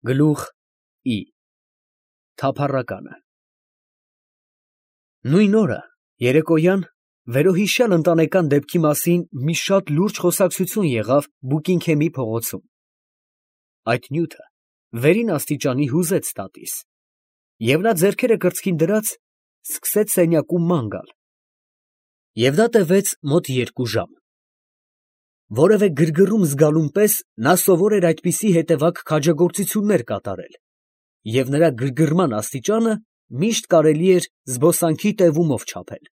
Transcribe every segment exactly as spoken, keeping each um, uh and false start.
Գլուխ I Թափառականը Նույն օրը երեկոյան վերոհիշյալ ընտանեկան դեպքի մասին մի շատ լուրջ խոսակցություն եղավ Բուկինգհեմի փողոցում. այդ նյութը վերին աստիճանի հուզեց տատիս, և նա ձեռքերը կրծքին դրած սկսեց սենյակում ման գալ, և դա տևեց մոտ երկու ժամ. որևէ գրգռում զգալուն պես նա սովոր էր այդպիսի հետևակ քաջագործություններ կատարել, և նրա գրգռման աստիճանը միշտ կարելի էր զբոսանքի տևումով չափել.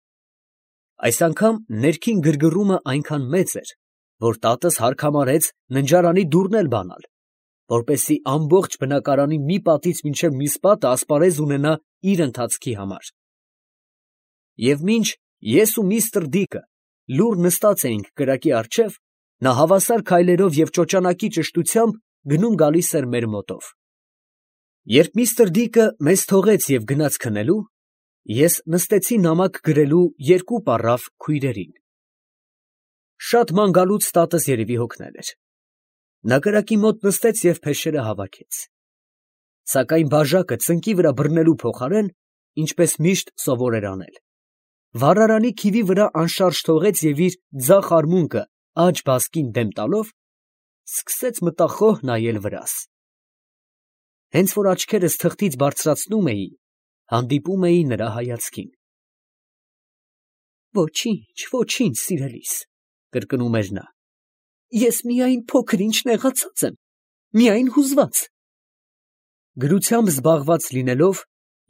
այս անգամ ներքին գրգռումը այնքան մեծ էր, որ տատս հագամարեց ննջարանի դուռն էլ բանալ, որպեսզի ամբողջ բնակարանի մի պատից մինչև մյուս պատը ասպարեզ ունենա իր ընթացքի համար. և մինչ ես ու միստր Դիկը լուռ նստած էինք կրակի առջև, նա հավասար քայլերով և ճոճանակի ճշտությամբ գնում գալիս էր մեր մոտով. երբ միստր Դիկը մեզ թողեց և գնաց քնելու, ես նստեցի նամակ գրելու երկու պառավ քույրերին. շատ ման գալուց տատս երևի հոգնել էր. նա կրակի մոտ նստեց և փեշերը հավաքեց, սակայն բաժակը ծնկի վրա բռնելու փոխարեն, ինչպես միշտ սովոր էր անել, վառարանի քիվի վրա անշարժ թողեց և իր ձախ արմունկը աջ բազկին դեմ տալով, սկսեց մտախոհ նայել վրաս. հենց որ աչքերս թղթից բարձրացնում էի, հանդիպում էի նրա հայացքին. «Ոչինչ, ոչինչ, սիրելիս, ֊ կրկնում էր նա, ֊ ես միայն փոքր ինչ նեղացած եմ, միայն հուզված»։ Գրությամբ զբաղված լինելով,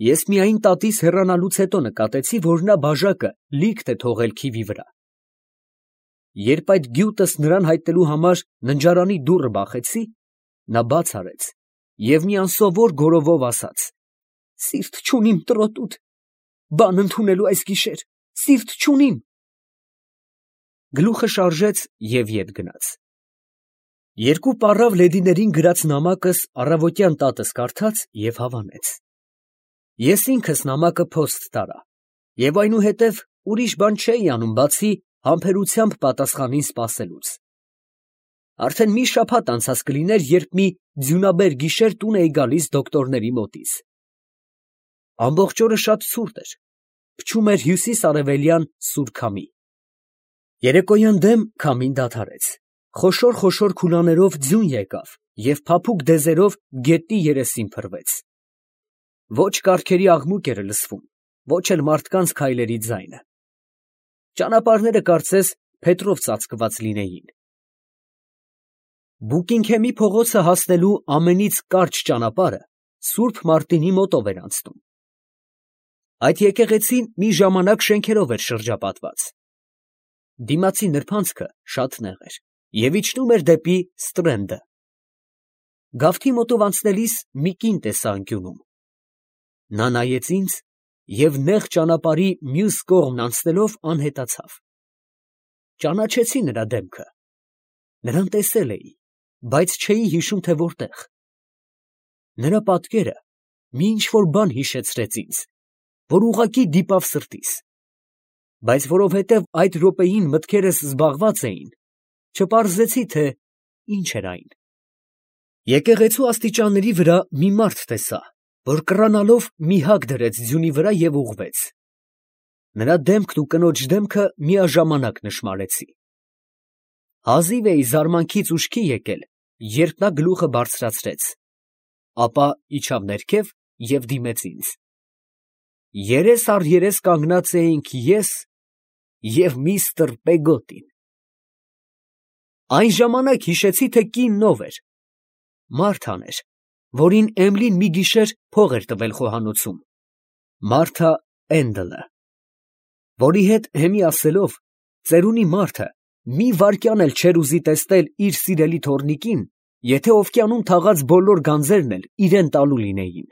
ես միայն տատիս հեռանալուց հետո նկատեցի, որ նա բաժակը լիքտ է թողել քիվի վրա. երբ այդ գյուտս նրան հայտնելու համար ննջարանի դուռը բախեցի, նա բաց արեց և մի անսովոր գոռովով ասաց. «Սիրտ չունիմ, տրոտուտ, բան ընդունելու այս գիշեր, սիրտ չունիմ»։ Գլուխը շարժեց և ետ գնաց։ Երկու պառավ լեդիներին գրած նամակս առավոտյան տատս կարդաց և հավանեց։ Ես ինքս նամակը փոստ տարա և այնուհետև ուրիշ բան չէի անում, բացի համբերությամբ պատասխանին սպասելուց։ Արդեն մի շաբաթ անցած կլիներ, երբ մի ձյունաբեր գիշեր տուն էի գալիս դոկտորների մոտից։ Ամբողջ օրը շատ ցուրտ էր, փչում էր հյուսիս֊արևելյան սուր քամի։ Երեկոյան դեմ քամին դադարեց, խոշոր֊խոշոր քուլաներով ձյուն եկավ և փափուկ դեզերով գետնի երեսին փռվեց։ Ոչ կառքերի աղմուկ էր լսվում, ոչ էլ մարդկանց քայլերի ձայնը։ Ճանապարհները կարծես փետրով ծածկված լինեին։ Բուկինգհեմի փողոցը հասնելու ամենից կարճ ճանապարհը Սուրբ Մարտինի մոտով էր անցնում։ Այդ եկեղեցին մի ժամանակ շենքերով էր շրջապատված։ Դիմացի նրբանցքը շատ նեղ էր և իջնում էր դեպի Ստրենդը։ Գավթի մոտով անցնելիս մի կին տեսա անկյունում։ Նա նայեց ինձ և նեղ ճանապարհի մյուս կողմն անցնելով անհետացավ։ Ճանաչեցի նրա դեմքը։ Նրան տեսել էի, բայց չէի հիշում, թե որտեղ։ Նրա պատկերը մի ինչ֊որ բան հիշեցրեց ինձ, որ ուղղակի դիպավ սրտիս, բայց որովհետև այդ րոպեին մտքերս զբաղված էին, չպարզեցի, թե ինչ էր այն։ Եկեղեցու աստիճանների վրա մի մարդ տեսա, որ կռանալով մի հագ դրեց ձյունի վրա և ուղղվեց։ Նրա դեմքն ու կնոջ դեմքը միաժամանակ նշմարեցի։ Հազիվ էի զարմանքից ուշքի եկել, երբ նա գլուխը բարձրացրեց, ապա իջավ ներքև և դիմեց ինձ։ Երես առ երես կանգնած էինք ես և միստր Պեգոտին։ Այն ժամանակ հիշեցի, թե կինն ով էր։ Մարթան էր, որին Էմիլին մի գիշեր փող էր տվել խոհանոցում, Մարթա Էնդլը, որի հետ հեմի ասելով, ծերունի մարդը մի վայրկյան էլ չէր ուզի տեսնել իր սիրելի թոռնիկին, եթե օվկիանում թաղած բոլոր գանձերն էլ իրան տալու լինեին։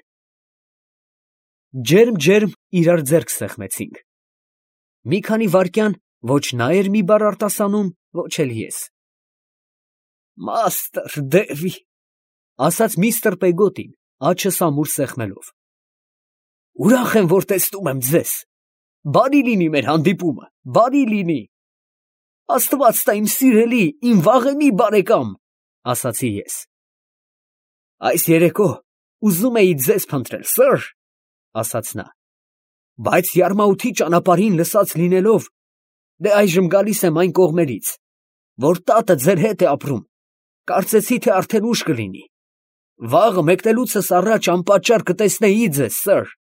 Ջերմ֊ջերմ իրար ձեռք սեղմեցինք։ Մի քանի վայրկյան ոչ նա էր մի բառ արտասանում, ոչ էլ ես։ «Մաստր Դևի», ֊ ասաց միստր Պեգոտին, աջս ամուր սեղմելով, ֊ ուրախ եմ, որ տեսնում եմ ձեզ, բարի լինի մեր հանդիպումը, բարի լինի։ Աստված տա իմ սիրելի, իմ վաղեմի բարեկամ, ֊ ասացի ես։ Այս երեկո ուզում էի ձեզ փնտրել, սըր, ասաց նա, բայց Յարմաութի ճանապարհին լսած լինելով, դե այժմ գալիս եմ այն կողմերից, որ տատը ձեր հետ է ապրում, կարծեցի, թե արդեն ուշ կլինի, վաղը մեկնելուցս առաջ անպատճառ կտեսնեի ձեզ, սըր։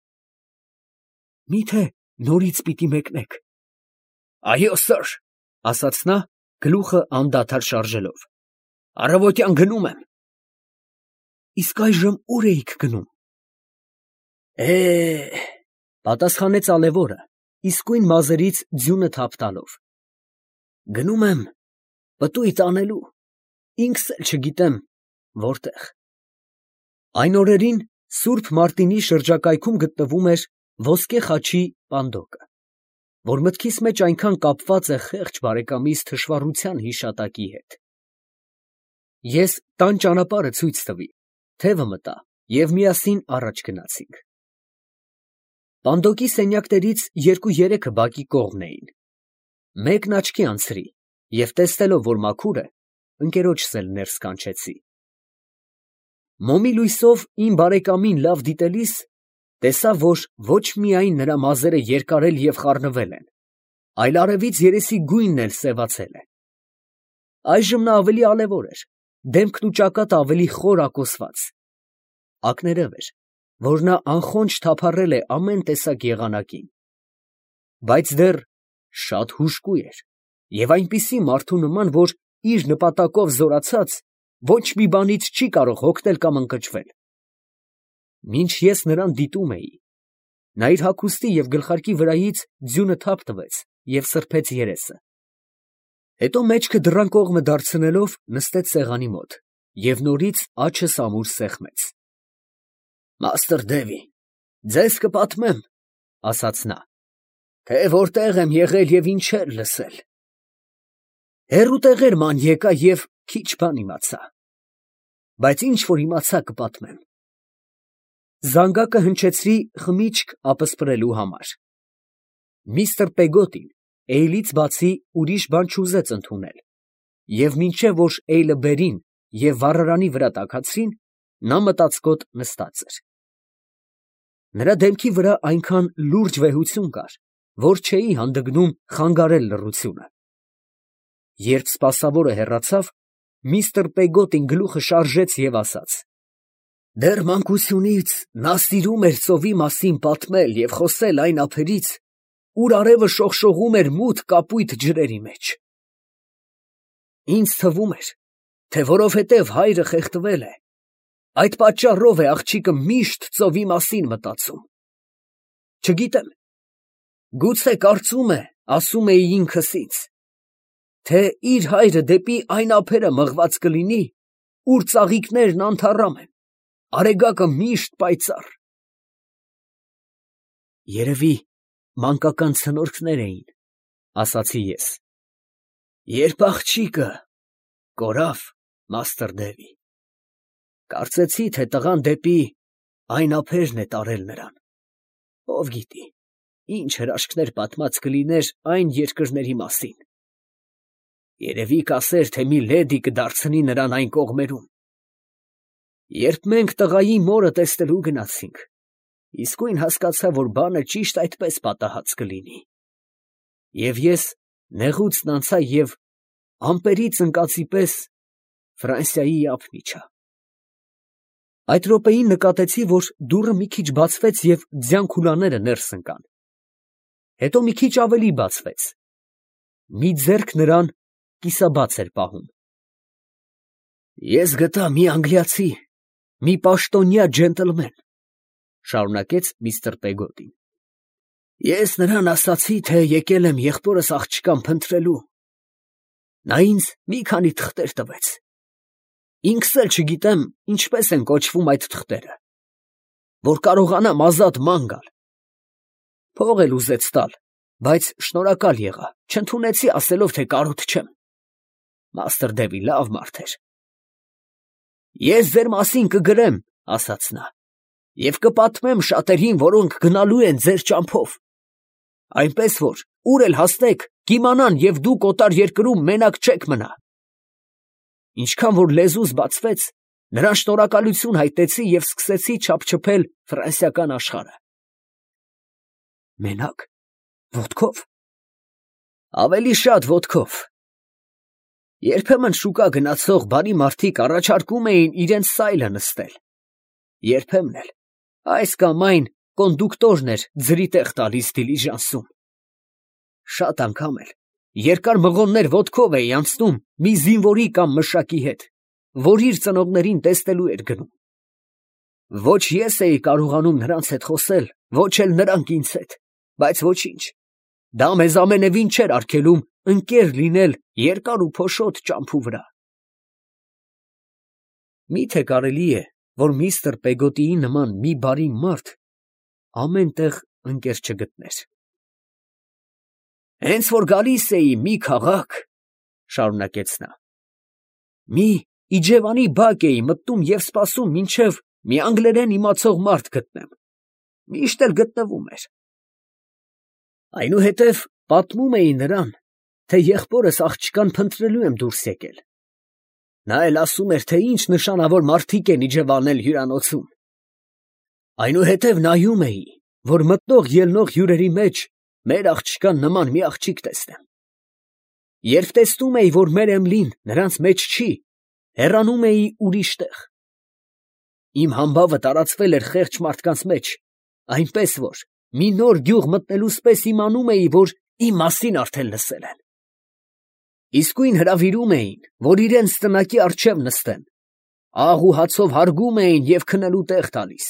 Միթե նորից պիտի մեկնեք։ Այո, սըր, ասաց նա, գլուխը անդադար շարժելով, առավոտյան գնում եմ։ Իսկ այժմ ուր էիք գնում։ Է, պատասխանեց ալևորը, իսկույն մազերից ձյունը թափ տալով։ Գնում եմ պտույտ անելու, ինքս էլ չգիտեմ որտեղ։ Այն օրերին Սուրբ Մարտինի շրջակայքում գտնվում էր ոսկե խաչի պանդոկը, որ մտքիս մեջ այնքան կապված է խեղճ բարեկամիս թշվառության հիշատակի հետ։ Ես տան ճանապարհը ցույց տվի, թևը մտա և միասին առաջ գնացինք։ Պանդոկի սենյակներից երկու-երեքը բակի կողմն էին։ Մեկն աչքի անցրի և տեսնելով, որ մաքուր է, ընկերոջս էլ ներս կանչեցի։ Մոմի լույսով իմ բարեկամին լավ դիտելիս, տեսա, որ ոչ միայն նրա մազերը երկարել և խառնվել են, այլ արևից երեսի գույնն էլ սևացել է։ Այժմ նա ավելի ալևոր էր, դեմքն ու ճակատը ավելի խոր ակոսված։ Ակներև էր, որ նա անխոնջ թափառել է ամեն տեսակ եղանակին, բայց դեռ շատ հուժկու էր և այնպիսի մարդու նման, որ իր նպատակով զորացած, ոչ մի բանից չի կարող հոգնել կամ ընկճվել։ Մինչ ես նրան դիտում էի, նա իր հագուստի և գլխարկի վրայից ձյունը թափ տվեց և սրբեց երեսը։ Հետո մեջքը դռան կողմը դարձնելով, նստեց սեղանի մոտ և նորից աջս ամուր սեղմեց։ Մաստր Դևի, ձեզ կպատմեմ, ասաց նա, թե որտեղ եմ եղել և ինչեր լսել։ Հեռու տեղեր ման եկա և քիչ բան իմացա, բայց ինչ որ իմացա կպատմեմ։ Զանգակը հնչեցրի խմիչք ապսպրելու համար։ Միստր Պեգոտին էյլից բացի ուրիշ բան չուզեց ընդունել, և մինչև որ էյլը բերին և վառարանի վրա տաքացրին, նա մտածկոտ նստած էր։ Նրա դեմքի վրա այնքան լուրջ վեհություն կար, որ չէի հանդգնում խանգարել լռությունը։ Երբ սպասավորը հեռացավ, միստր Պեգոտին գլուխը շարժեց և ասաց. Դեռ մանկությունից նա սիրում էր ծովի մասին պատմել և խոսել այն ափերից, ուր արևը շողշողում էր մութ կապույտ ջրերի մեջ։ Ինձ թվում էր, թե որովհետև հայրը խեղդվել է, այդ պատճառով է աղջիկը միշտ ծովի մասին մտածում։ Չգիտեմ, գուցե կարծում է, ասում էի ինքս ինձ, թե իր հայրը դեպի այն ափերը մղված կլինի, ուր ծաղիկներն անթառամ են, արեգակը միշտ պայծառ։ Երևի մանկական ցնորքներ էին, ասացի ես։ Երբ աղջիկը կորավ, մաստր Դևի, կարծեցի, թե տղան դեպի այն ափերն է տարել նրան, ով գիտի, ինչ հրաշքներ պատմած կլիներ այն երկրների մասին։ Երևի կասեր, թե մի լեդի կդարձնի նրան այն կողմերում։ Երբ մենք տղայի մորը տեսնելու գնացինք, իսկույն հասկացա, որ բանը ճիշտ այդպես պատահած կլինի։ Եվ ես նեղուցն անցա և ամպերից ընկածի պես Ֆրանսիայի ափ իջա։ Այդ րոպեին նկատեցի, որ դուռը մի քիչ բացվեց և ձյան քուլաները ներս ընկան։ Հետո մի քիչ ավելի բացվեց։ Մի ձեռք նրան կիսաբաց էր պահում։ Ես գտա մի անգլիացի, մի պաշտոնյա ջենտլմեն, շարունակեց միստր Պեգոտին։ Ես նրան ասացի, թե եկել եմ եղբորս աղջկան փնտրելու։ Նա ինձ մի քանի թղթեր տվեց։ Ինքս էլ չգիտեմ ինչպես են կոչվում այդ թղթերը, որ կարողանամ ազատ ման գալ։ Փող էլ ուզեց տալ, բայց շնորհակալ եղա, չընդունեցի, ասելով, թե կարոտ չեմ։ Մաստր Դևի լավ մարդ էր։ Ես ձեր մասին կգրեմ, ասաց նա, և կպատմեմ շատերին, որոնք գնալու են ձեր ճամփով, այնպես որ ուր էլ հասնեք, կիմանան և դուք օտար երկրում մենակ չեք մնա։ Ինչքան որ լեզուս բացվեց, Նրան շնորհակալություն հայտնեցի և սկսեցի չափչփել ֆրանսիական աշխարհը։ Մենակ, ոտքով։ Ավելի շատ ոտքով։ Երբեմն շուկա գնացող բարի մարդիկ առաջարկում էին իրենց սայլը նստել։ Երբեմն էլ այս կամ այն կոնդուկտորն էր ձրի տեղ տալիս դիլիժանսում։ Շատ անգամ էլ երկար մղոններ ոտքով էի անցնում մի զինվորի կամ մշակի հետ, որ իր ծնողներին տեսնելու էր գնում։ Ոչ ես էի կարողանում նրանց հետ խոսել, ոչ էլ նրանք ինձ հետ, բայց ոչինչ, դա մեզ ամենևին չէր արգելում ընկեր լինել երկար ու փոշոտ ճամփու վրա։ Մի՞թե կարելի է, որ միստր Պեգոտիի նման մի բարի մարդ ամեն տեղ ընկեր չգտներ։ Հենց որ գալիս էի մի քաղաք, շարունակեց նա, մի իջևանի բակ էի մտնում և սպասում, մինչև մի անգլերեն իմացող մարդ գտնեմ, միշտ էլ գտնվում էր։ Այնուհետև պատմում էի նրան, թե եղբորս աղջկան փնտրելու եմ դուրս եկել։ Նա էլ ասում էր, թե ինչ նշանավոր մարդիկ են իջևանել հյուրանոցում։ Այնուհետև նայում էի, որ մտնող ելնող հյուրերի մեջ մեր աղջկան նման մի աղջիկ տեսնեմ։ Երբ տեսնում էի, որ մեր Էմլին նրանց մեջ չի, հեռանում էի ուրիշ տեղ։ Իմ համբավը տարածվել էր խեղճ մարդկանց մեջ, այնպես որ մի նոր գյուղ մտնելուց պես իմանում էի, որ իմ մասին արդեն լսել են։ Իսկույն հրավիրում էին, որ իրենց տնակի առջև նստեն, աղ ու հացով հարգում էին և քնելու տեղ տալիս։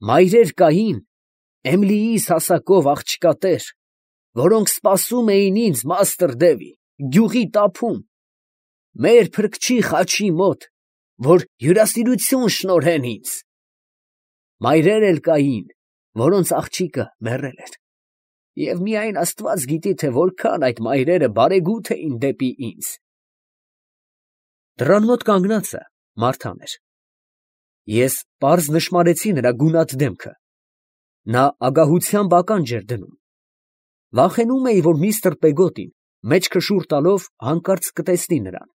Մայրեր կային, Էմլիիս հասակով աղջկատեր, որոնք սպասում էին ինձ մաստր Դևի, գյուղի տափում, մեր փրկչի խաչի մոտ, որ հյուրասիրություն շնորհեն ինձ։ Մայրեր էլ կային, որոնց աղջիկը մեռել էր, և միայն Աստված գիտի, թե որքան այդ մայրերը բարեգութ էին դեպի ինձ։ Դռան մոտ կանգնածը Մարթան էր։ Ես պարզ նշմարեցի նրա գունատ դեմքը։ Նա ագահությամբ ականջ էր դնում։ Վախենում էի, որ միստր Պեգոտին մեջքը շուռ տալով հանկարծ կտեսնի նրան։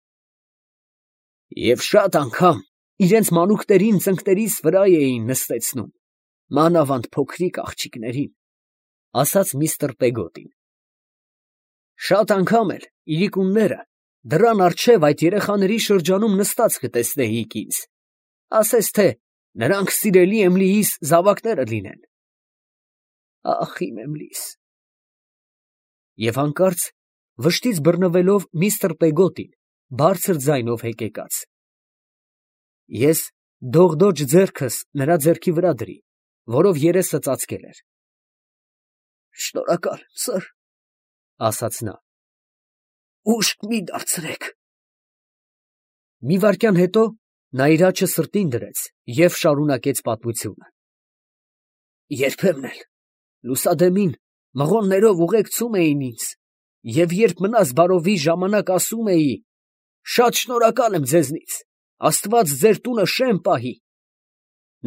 Եվ շատ անգամ իրենց մանուկներին ծնկներիս վրա էին նստեցնում, մանավանդ փոքրիկ աղջիկներին, ասաց միստր Պեգոտին։ Շատ անգամ էլ իրիկունները դռան առջև այդ երեխաների շրջանում նստած կտեսնեիք ինձ, ասես թե նրանք սիրելի Էմլիիս զավակները լինեն։ Ախ, իմ Էմլիս։ Եվ հանկարծ վշտից բռնվելով միստր Պեգոտին բարձր ձայնով հեկեկաց։ Ես դողդոջ ձեռքս նրա ձեռքի վրա դրի, որով երեսը ծածկել էր։ Շնորհակալ եմ, սըր, ասաց նա։ Ուշ մի դարձրեք։ Մի վայրկյան հետո նա իր աջը սրտին դրեց և շարունակեց պատմությունը։ Երբեմն էլ լուսադեմին մղոններով ուղեկցում էին ինձ, և երբ մնաս բարովի ժամանակ ասում էի. «Շատ շնորհակալ եմ ձեզնից, Աստված ձեր տունը շեմ պահի»,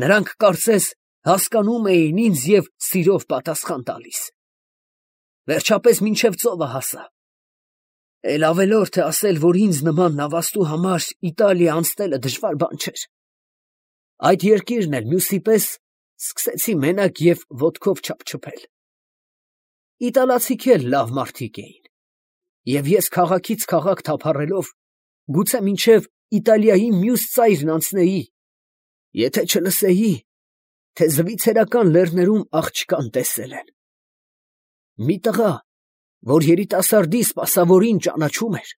նրանք կարծես հասկանում էին ինձ և սիրով պատասխան տալիս։ Վերջապես մինչև ծովը հասա։ Էլ ավելորդ է ասել, որ ինձ նման նավաստու համար Իտալիա անցնելը դժվար բան չէր։ Այդ երկիրն էլ մյուսի պես սկսեցի մենակ և ոտքով չափչփել։ Իտալացիք էլ լավ մարդիկ էին, և ես քաղաքից քաղաք թափառելով, գուցե մինչև Իտալիայի մյուս ծայրն անցնեի, եթե չլսեի, թե Զվիցերական լեռներում աղջկան տեսել են։ Մի տղա, որ երիտասարդի սպասավորին ճանաչում էր,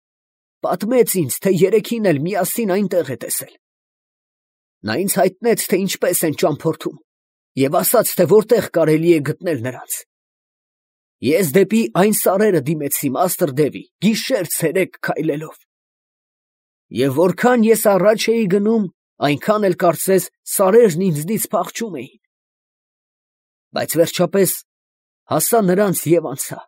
պատմեց ինձ, թե երեքին էլ միասին այնտեղ է տեսել։ Նա ինձ հայտնեց, թե ինչպես են ճամփորդում, և ասաց, թե որտեղ կարելի է գտնել նրանց։ Ես դեպի այն սարերը դիմեցի մաստր Դևի, գիշեր֊ցերեկ քայլելով։ Եվ որքան ես առաջ էի գնում, այնքան էլ կարծես սարերն ինձնից փախչում էին։ Բայց վերջապես հասա նրանց և անցա։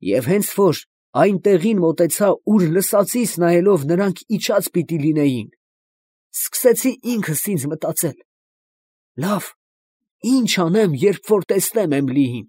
Եվ հենց որ այն տեղին մոտեցա, ուր լսածիս նայելով նրանք իջած պիտի լինեին, սկսեցի ինքս ինձ մտածել. լավ, ի՞նչ անեմ, երբ որ տեսնեմ Էմլիին։